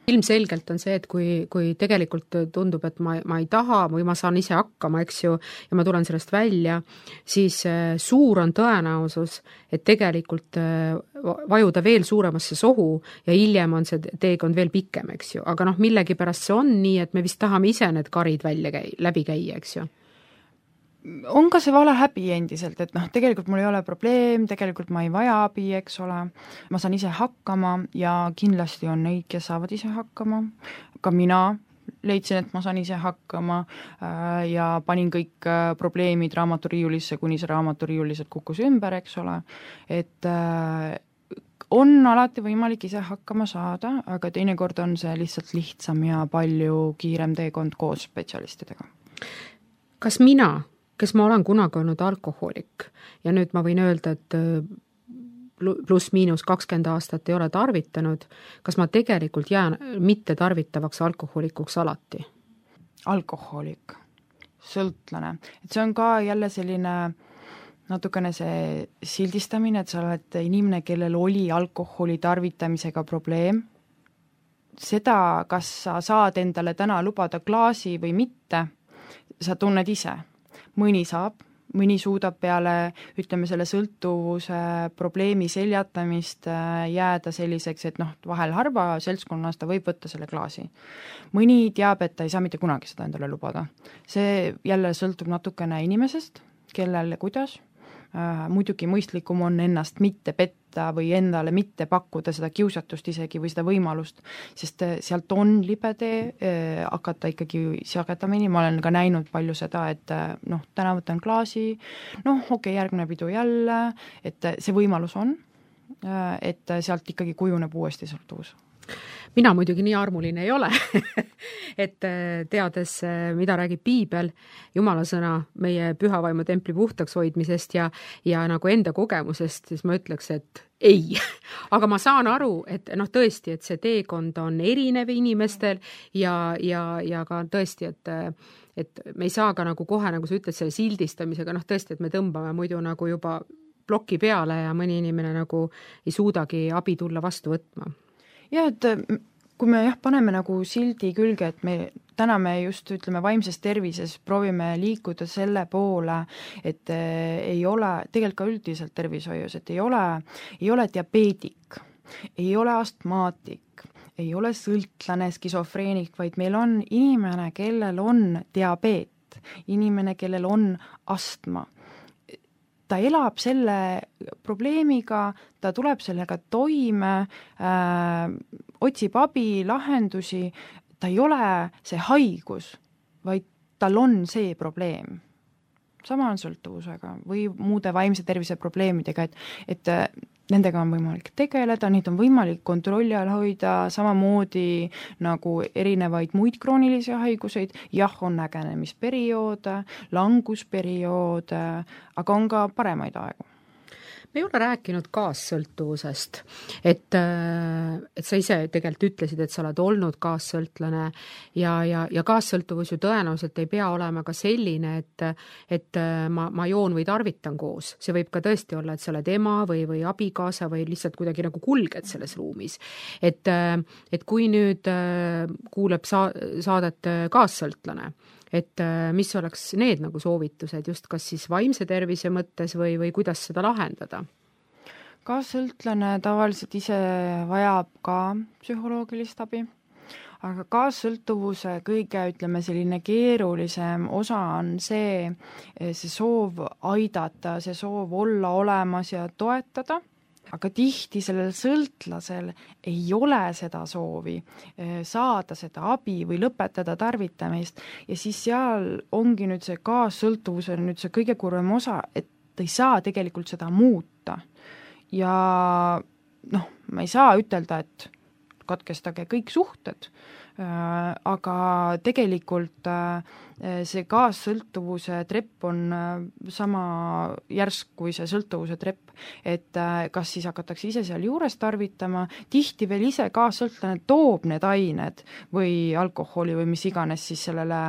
Ilmselgelt on see, et kui tegelikult tundub, et ma ei taha või ma saan ise hakkama, eks ju, ja ma tulen sellest välja, siis suur on tõenäosus, et tegelikult vajuda veel suuremasse sohu ja hiljem on see teekond veel pikem, eks ju. Aga millegipärast see on nii, et me vist tahame ise need karid läbi käia, eks ju. On ka see vale häbi endiselt, et tegelikult mul ei ole probleem, tegelikult ma ei vaja abi, eks ole, ma saan ise hakkama ja kindlasti on neid, kes saavad ise hakkama, ka mina leidsin, et ma saan ise hakkama ja panin kõik probleemid raamaturiiulisse, kuni see raamaturiiuliselt kukkus ümber, eks ole, et on alati võimalik ise hakkama saada, aga teinekord on see lihtsalt lihtsam ja palju kiirem teekond koos spetsialistidega. Kas mina, kes ma olen kunagi olnud alkohoolik ja nüüd ma võin öelda, et pluss-miinus 20 aastat ei ole tarvitanud, kas ma tegelikult jään mitte tarvitavaks alkohoolikuks alati? Alkohoolik, sõltlane, et see on ka jälle selline natukene see sildistamine, et sa oled inimene, kellel oli alkoholi tarvitamisega probleem. Seda, kas sa saad endale täna lubada klaasi või mitte, sa tunned ise. Mõni saab, mõni suudab peale, ütleme, selle sõltuvuse probleemi seljatamist jääda selliseks, et vahel harva seltskonnas ta võib võtta selle klaasi. Mõni teab, et ta ei saa mitte kunagi seda endale lubada. See jälle sõltub natukene inimesest, kellel ja kuidas. Muidugi mõistlikum on ennast mitte petta või endale mitte pakkuda seda kiusatust isegi või seda võimalust, sest sealt on libe tee hakata ikkagi sagedamini, ma olen ka näinud palju seda, et täna võtan klaasi, järgmine pidu jälle, et see võimalus on, et sealt ikkagi kujuneb uuesti sõltuvus. Mina muidugi nii armuline ei ole, et teades, mida räägib piibel, Jumala sõna meie pühavaimu templi puhtaks hoidmisest ja nagu enda kogemusest, siis ma ütleks, et ei. Aga ma saan aru, et tõesti, et see teekond on erinev inimestel ja ka tõesti, et me ei saa ka nagu kohe, nagu sa ütled, selle sildistamisega, tõesti, et me tõmbame muidu nagu juba ploki peale ja mõni inimene nagu ei suudagi abi tulla vastu võtma. Ja, et kui me paneme nagu sildi külge, et täna me just ütleme vaimses tervises proovime liikuda selle poole, et ei ole, tegelikult ka üldiselt tervishoius, et ei ole diabeedik, ei ole astmaatik, ei ole sõltlane, skisofreenik, vaid meil on inimene, kellel on diabeet, inimene, kellel on astma. Ta elab selle probleemiga, ta tuleb sellega toime, otsib abi, lahendusi, ta ei ole see haigus, vaid tal on see probleem. Sama on sõltuvusega või muude vaimse tervise probleemidega, et nendega on võimalik tegeleda, neid on võimalik kontrolli all hoida, samamoodi nagu erinevaid muid kroonilisi haiguseid, on nägenemisperioode, langusperioode, aga on ka paremaid aegu. me ei ole rääkinud kaassõltuvusest, et sa ise tegelikult ütlesid, et sa oled olnud kaassõltlane ja kaassõltuvus ju tõenäoliselt ei pea olema ka selline, et ma joon või tarvitan koos. See võib ka tõesti olla, et sa oled ema või abikaasa või lihtsalt kuidagi nagu kulged selles ruumis. Et kui nüüd kuuleb saadet kaassõltlane, et mis oleks need nagu soovitused just kas siis vaimse tervise mõttes või kuidas seda lahendada? Kaassõltlane tavaliselt ise vajab ka psühholoogilist abi, aga kaassõltuvuse kõige, selline keerulisem osa on see soov aidata, see soov olla olemas ja toetada. Aga tihti sellel sõltlasel ei ole seda soovi saada seda abi või lõpetada tarvitamist ja siis seal ongi nüüd see kaassõltuvuse nüüd see kõige kurvem osa, et ta ei saa tegelikult seda muuta. Ja ma ei saa ütelda, et katkestage kõik suhted, aga tegelikult see kaassõltuvuse trepp on sama järsk kui see sõltuvuse trepp, et kas siis hakatakse ise seal juures tarvitama, tihti veel ise kaassõltlane toob need ained või alkoholi või mis iganes siis sellele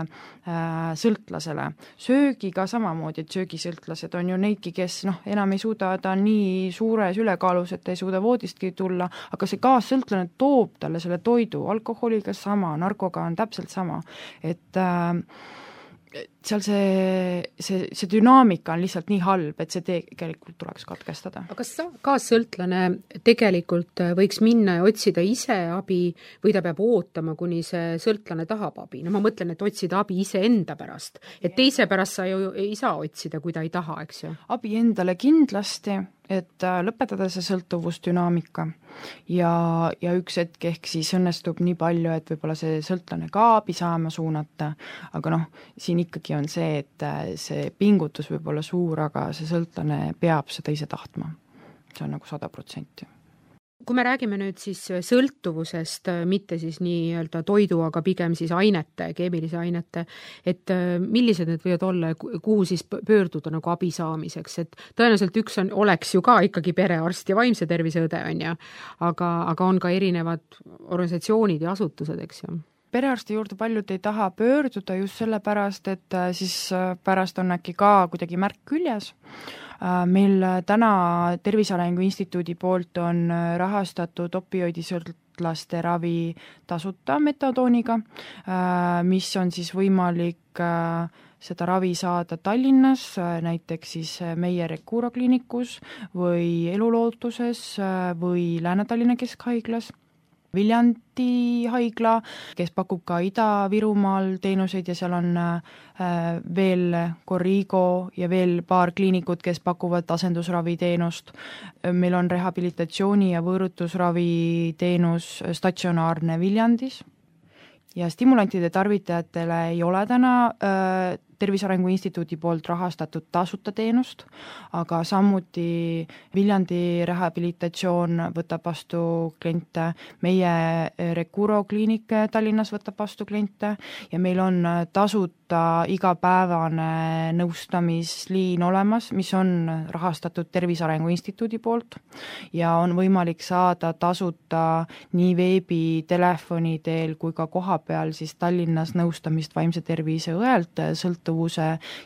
sõltlasele. Söögiga samamoodi, et söögisõltlased on ju neidki, kes enam ei suuda, ta on nii suures ülekaalus, et ei suuda voodistki tulla, aga see kaassõltlane toob talle selle toidu, alkoholiga sama, narkoga on täpselt sama, et seal see dünaamika on lihtsalt nii halb, et see tegelikult tuleks katkestada. Aga kas kaassõltlane tegelikult võiks minna ja otsida ise abi või ta peab ootama, kuni see sõltlane tahab abi? Ma mõtlen, et otsida abi ise enda pärast. Et teise pärast sa ju ei saa otsida, kui ta ei taha, eks ju? Abi endale kindlasti, et lõpetada see sõltuvusdünaamika ja üks hetk ehk siis õnnestub nii palju, et võib-olla see sõltlane ka abi saama suunata, aga siin ikkagi on see, et see pingutus võib olla suur, aga see sõltlane peab seda ise tahtma. See on nagu 100%. Kui me räägime nüüd siis sõltuvusest, mitte siis nii-öelda toidu, aga pigem siis ainete, keemilise ainete, et millised need võivad olla, kuhu siis pöörduda nagu abi saamiseks, et tõenäoliselt üks oleks ju ka ikkagi perearst ja vaimse tervise õde, on ju, aga on ka erinevad organisatsioonid ja asutused, eks ju. Perearsti juurde paljud ei taha pöörduda just sellepärast, et siis pärast on äkki ka kuidagi märk küljes. Meil täna Tervise Arengu Instituudi poolt on rahastatud opioidisõltlaste ravi tasuta metadooniga, mis on siis võimalik seda ravi saada Tallinnas, näiteks siis meie Recuro kliinikus või Elulootuses või Lääne-Tallinna Keskhaiglas. Viljandi haigla, kes pakub ka Ida-Virumaal teenuseid ja seal on veel Corrigo ja veel paar kliinikut, kes pakuvad asendusravi teenust. Meil on rehabilitatsiooni ja võõrutusravi teenus statsionaarne Viljandis ja stimulantide tarvitajatele ei ole täna Tervise Arengu Instituudi poolt rahastatud tasuta teenust, aga samuti Viljandi rehabilitatsioon võtab vastu kliente, meie Recuro kliinik Tallinnas võtab vastu kliente ja meil on tasuta igapäevane nõustamisliin olemas, mis on rahastatud Tervise Arengu Instituudi poolt ja on võimalik saada tasuta nii veebi, telefoni teel kui ka kohapeal siis Tallinnas nõustamist vaimse tervise õelt sõltuvuse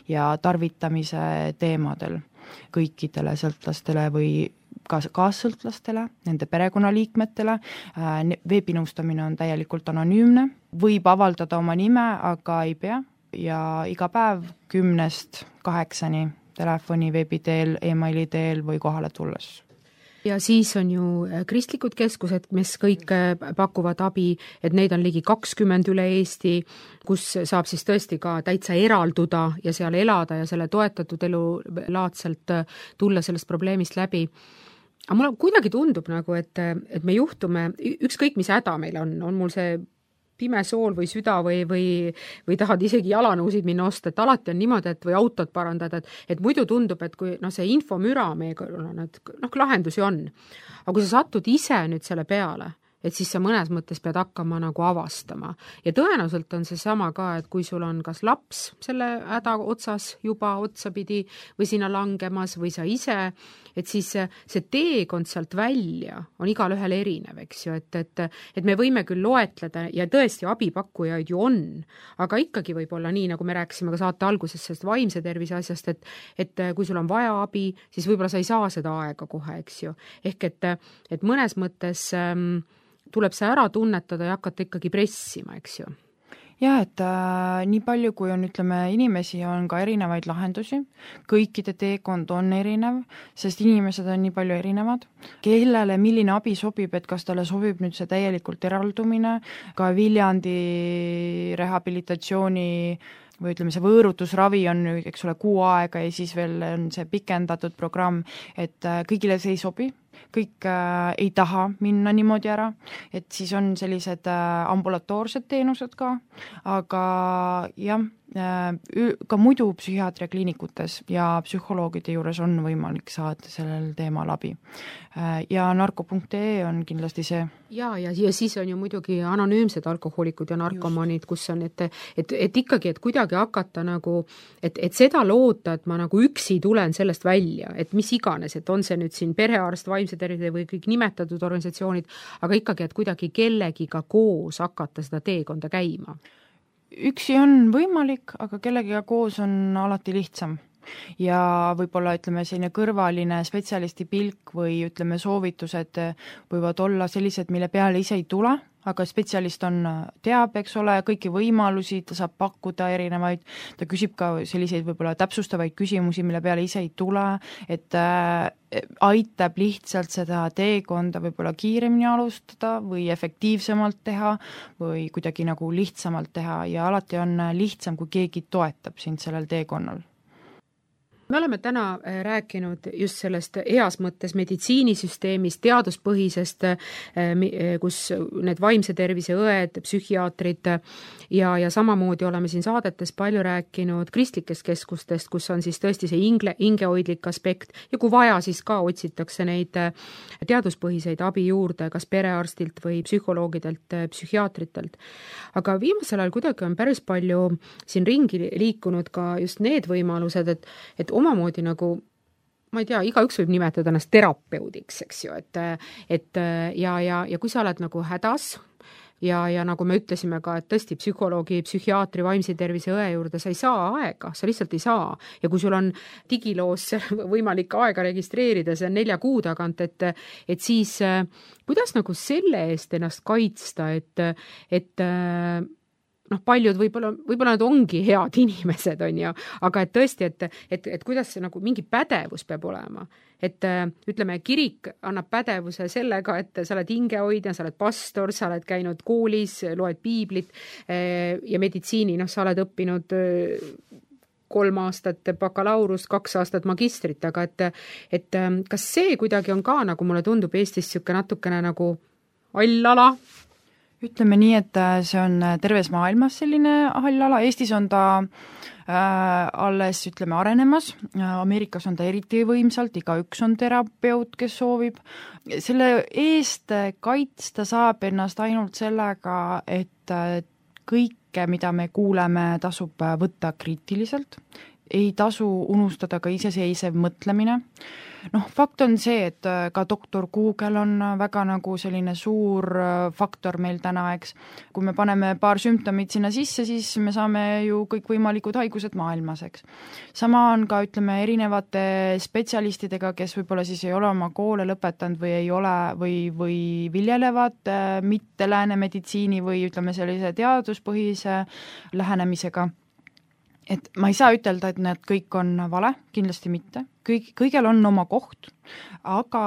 ja tarvitamise teemadel kõikidele sõltlastele või kaassõltlastele, nende perekonnaliikmetele. Veebinõustamine on täielikult anonüümne, võib avaldada oma nime, aga ei pea ja iga päev 10-8 telefoni, veebi teel, emaili teel või kohale tulles. Ja siis on ju kristlikud keskused, mis kõik pakuvad abi, et neid on ligi 20 üle Eesti, kus saab siis tõesti ka täitsa eralduda ja seal elada ja selle toetatud elu laadselt tulla sellest probleemist läbi. Aga mulle kuidagi tundub nagu, et me juhtume, ükskõik mis häda meil on mul see pime sool või süda või tahad isegi jalanõusid minna osta, et alati on niimoodi, et või autot parandada, et muidu tundub, et kui see infomüra meie kõrval on, et lahendusi on. Aga kui sa satud ise nüüd selle peale, et siis sa mõnes mõttes pead hakkama nagu avastama. Ja tõenäoliselt on see sama ka, et kui sul on kas laps selle häda otsas juba otsapidi või sinna langemas või sa ise, et siis see teekond sealt välja on igal ühel erinev, eks ju, et me võime küll loetleda ja tõesti abipakkujaid ju on, aga ikkagi võib olla nii, nagu me rääkisime ka saate alguses sellest vaimse tervise asjast, et kui sul on vaja abi, siis võib-olla sa ei saa seda aega kohe, eks ju. Ehk et mõnes mõttes tuleb see ära tunnetada ja hakata ikkagi pressima, eks ju. Jah, et nii palju, kui on, ütleme, inimesi on ka erinevaid lahendusi, kõikide teekond on erinev, sest inimesed on nii palju erinevad, kellele milline abi sobib, et kas talle sobib nüüd see täielikult eraldumine, ka Viljandi rehabilitatsiooni või ütleme, see võõrutusravi on, eks ole, 6 aega ja siis veel on see pikendatud programm, et kõigile see ei sobi, kõik ei taha minna niimoodi ära, et siis on sellised ambulatoorsed teenused ka, aga jah, ka muidu psühhiaatriakliinikutes ja psühholoogide juures on võimalik saada sellel teemal abi. Ja narko.ee on kindlasti see. Ja siis on ju muidugi anonüümsed alkohoolikud ja narkomanid, kus on, et ikkagi, et kuidagi hakata nagu, et seda loota, et ma nagu üksi tulen sellest välja, et mis iganes, et on see nüüd siin perearst, vaimse tervise või kõik nimetatud organisatsioonid, aga ikkagi, et kuidagi kellegiga koos hakata seda teekonda käima. Üksi on võimalik, aga kellegiga koos on alati lihtsam. Ja võib-olla, ütleme, selline kõrvaline spetsialisti pilk või ütleme soovitused võivad olla sellised, mille peale ise ei tule, aga spetsialist teab, eks ole, kõiki võimalusi, ta saab pakkuda erinevaid, ta küsib ka selliseid võib-olla täpsustavaid küsimusi, mille peale ise ei tule, et aitab lihtsalt seda teekonda võib-olla kiiremini alustada või efektiivsemalt teha või kuidagi nagu lihtsamalt teha ja alati on lihtsam, kui keegi toetab sind sellel teekonnal. Me oleme täna rääkinud just sellest heas mõttes meditsiinisüsteemist, teaduspõhisest, kus need vaimse tervise õed, psühhiaatrid ja samamoodi oleme siin saadetes palju rääkinud kristlikest keskustest, kus on siis tõesti see hingehoidlik aspekt ja kui vaja, siis ka otsitakse neid teaduspõhiseid abi juurde, kas perearstilt või psühholoogidelt, psühhiaatritelt. Aga viimasel ajal kuidagi on päris palju siin ringi liikunud ka just need võimalused, et omamoodi nagu, ma ei tea, igaüks võib nimetada ennast terapeudiks, eks ju, et kui sa oled nagu hädas ja nagu me ütlesime ka, et tõesti psühholoogi, psühhiaatri, vaimse tervise õe juurde sa ei saa aega, sa lihtsalt ei saa. Ja kui sul on digiloos võimalik aega registreerida, see on 4 kuu tagant, et siis kuidas nagu selle eest ennast kaitsta, et paljud võib-olla nad ongi head inimesed, on ju, aga et tõesti, et kuidas see nagu mingi pädevus peab olema. Et ütleme, kirik annab pädevuse sellega, et sa oled hingehoidja, sa oled pastor, sa oled käinud koolis, loed piiblit ja meditsiini, sa oled õppinud 3 aastat bakalaurust, 2 aastat magistrit, aga et kas see kuidagi on ka, nagu mulle tundub Eestis natukene nagu allala? Ütleme nii, et see on terves maailmas selline hallala, Eestis on ta alles, ütleme, arenemas, Ameerikas on ta eriti võimsalt, igaüks on terapeut, kes soovib. Selle eest kaitsta saab ennast ainult sellega, et kõike, mida me kuuleme, tasub võtta kriitiliselt, ei tasu unustada ka iseseisev mõtlemine. Fakt on see, et ka doktor Google on väga nagu selline suur faktor meil täna, eks. Kui me paneme paar sümptomit sinna sisse, siis me saame ju kõik võimalikud haigused maailmas, eks. Sama on ka, ütleme, erinevate spetsialistidega, kes võib-olla siis ei ole oma koole lõpetanud või ei ole või viljelevad mitte lääne meditsiini või ütleme sellise teaduspõhise lähenemisega. Et ma ei saa ütelda, et need kõik on vale, kindlasti mitte. Kõigel on oma koht, aga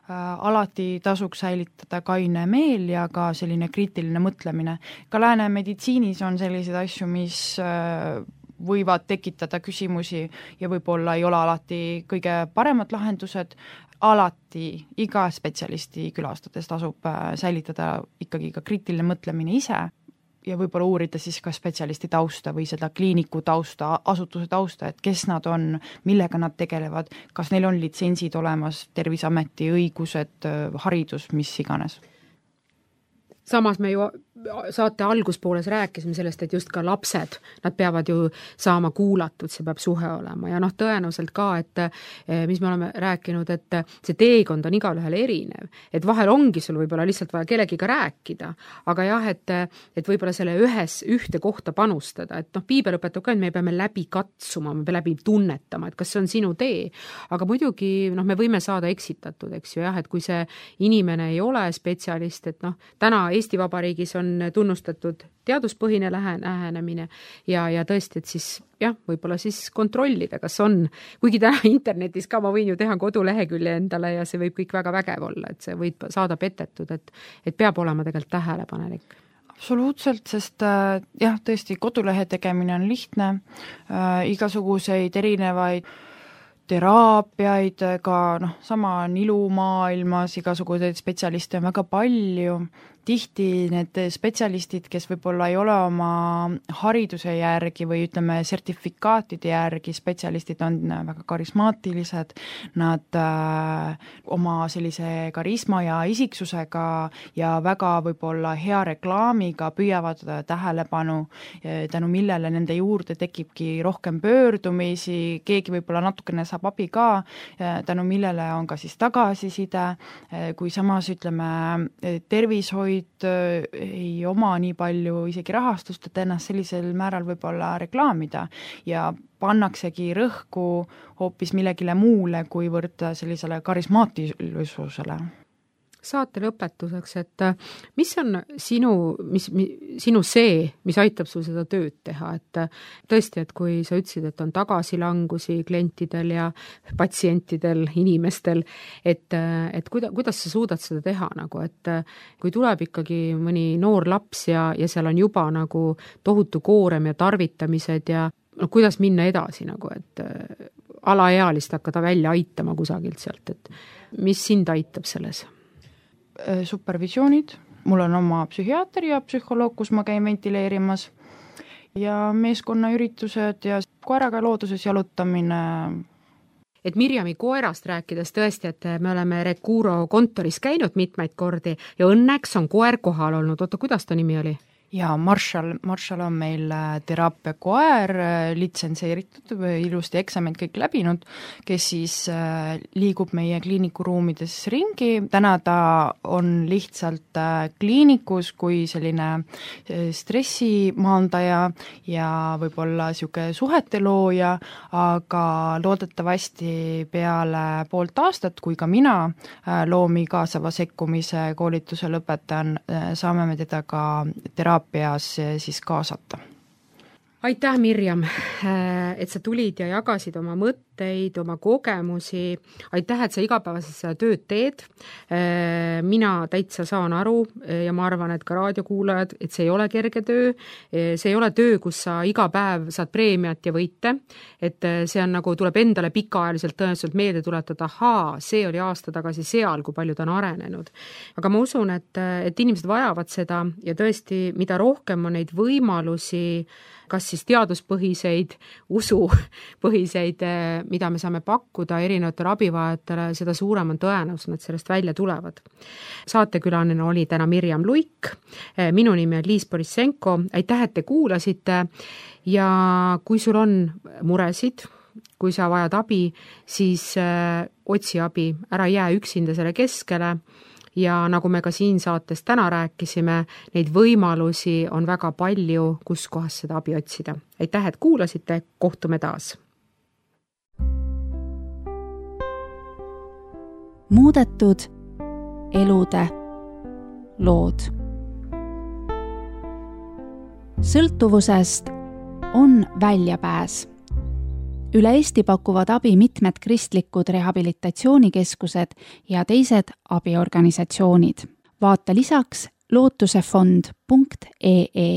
alati tasuks säilitada kaine meel ja ka selline kriitiline mõtlemine. Ka lääne meditsiinis on selliseid asju, mis võivad tekitada küsimusi ja võib-olla ei ole alati kõige paremad lahendused. Alati iga spetsialisti külastades tasub säilitada ikkagi ka kriitiline mõtlemine ise ja võib-olla uurida siis ka spetsialisti tausta või seda kliiniku tausta, asutuse tausta, et kes nad on, millega nad tegelevad, kas neil on litsentsid olemas, Terviseameti õigused, haridus, mis iganes. samas me ju saate alguspooles rääkisime sellest, et just ka lapsed, nad peavad ju saama kuulatud, see peab suhe olema ja tõenäoliselt ka, et mis me oleme rääkinud, et see teekond on igalühel erinev, et vahel ongi sul võib-olla lihtsalt vaja kellegiga rääkida, aga jah, et võib-olla selle ühte kohta panustada, et piibel õpetab ka, et me peame läbi katsuma, me peame läbi tunnetama, et kas see on sinu tee, aga muidugi me võime saada eksitatud, eks ju, jah, et kui see inimene ei ole spetsialist, et täna Eesti Vabariigis on tunnustatud teaduspõhine lähenemine ja tõesti, et siis jah, võib-olla siis kontrollida, kas on, kuigi täna internetis ka ma võin ju teha kodulehekülje endale ja see võib kõik väga vägev olla, et see võib saada petetud, et peab olema tegelikult tähelepanelik. Absoluutselt, sest jah, tõesti kodulehe tegemine on lihtne, igasuguseid erinevaid teraapiaid, ka sama on ilumaailmas, igasuguseid spetsialiste on väga palju, tihti need spetsialistid, kes võib-olla ei ole oma hariduse järgi või ütleme sertifikaatide järgi spetsialistid, on väga karismaatilised, nad oma sellise karisma ja isiksusega ja väga võib-olla hea reklaamiga püüavad tähelepanu, tänu millele nende juurde tekibki rohkem pöördumisi, keegi võib-olla natukene saab abi ka, tänu millele on ka siis tagasiside, kui samas ütleme tervishoid ei oma nii palju isegi rahastust, et ennast sellisel määral võib-olla reklaamida ja pannaksegi rõhku hoopis millegile muule, kuivõrd sellisele karismaatilisusele. Saate lõpetuseks, et mis on sinu see, mis aitab sul seda tööd teha, et tõesti, et kui sa ütlesid, et on tagasilangusi klientidel ja patsientidel, inimestel, et kuidas sa suudad seda teha, et kui tuleb ikkagi mõni noor laps ja seal on juba tohutu koorem ja tarvitamised ja kuidas minna edasi, et alaealist hakata välja aitama kusagilt sealt, et mis sind aitab selles? Supervisioonid, mul on oma psühhiaater ja psühholoog, kus ma käin ventileerimas ja meeskonnaüritused ja koeraga looduses jalutamine. Et Mirjami koerast rääkides tõesti, et me oleme Recuro kontoris käinud mitmeid kordi ja õnneks on koer kohal olnud. Oota, kuidas ta nimi oli? Ja Marshall on meil teraapia koer, litsenseeritud, ilusti eksamid kõik läbinud, kes siis liigub meie kliinikuruumides ringi. Täna ta on lihtsalt kliinikus kui selline stressimaandaja ja võib-olla siuke suhete looja, aga loodetavasti peale poolt aastat, kui ka mina loomi kaasava sekkumise koolituse lõpetan, saame me teda ka teraapias siis kaasata. Aitäh, Mirjam, et sa tulid ja jagasid oma mõtteid, oma kogemusi. Aitäh, et sa igapäevaselt seda tööd teed. Mina täitsa saan aru ja ma arvan, et ka raadiokuulajad, et see ei ole kerge töö. See ei ole töö, kus sa iga päev saad preemiat ja võite. Et see on tuleb endale pikaajaliselt tõenäoliselt meelde tuletada, see oli aasta tagasi seal, kui palju ta on arenenud. Aga ma usun, et inimesed vajavad seda ja tõesti, mida rohkem on neid võimalusi, kas siis teaduspõhiseid, usupõhiseid, mida me saame pakkuda erinevatele abivajatele, seda suurem on tõenäosus, et sellest välja tulevad. Saatekülaline oli täna Mirjam Luik, minu nimi on Liis Borissenko, aitäh, et te kuulasite ja kui sul on muresid, kui sa vajad abi, siis otsi abi, ära jää üksinda selle keskele. Ja nagu me ka siin saates täna rääkisime, neid võimalusi on väga palju, kus kohas seda abi otsida. Aitäh, et kuulasite, kohtume taas. Muudetud elude lood. Sõltuvusest on väljapääs. Üle Eesti pakuvad abi mitmed kristlikud rehabilitatsioonikeskused ja teised abiorganisatsioonid. Vaata lisaks lootusefond.ee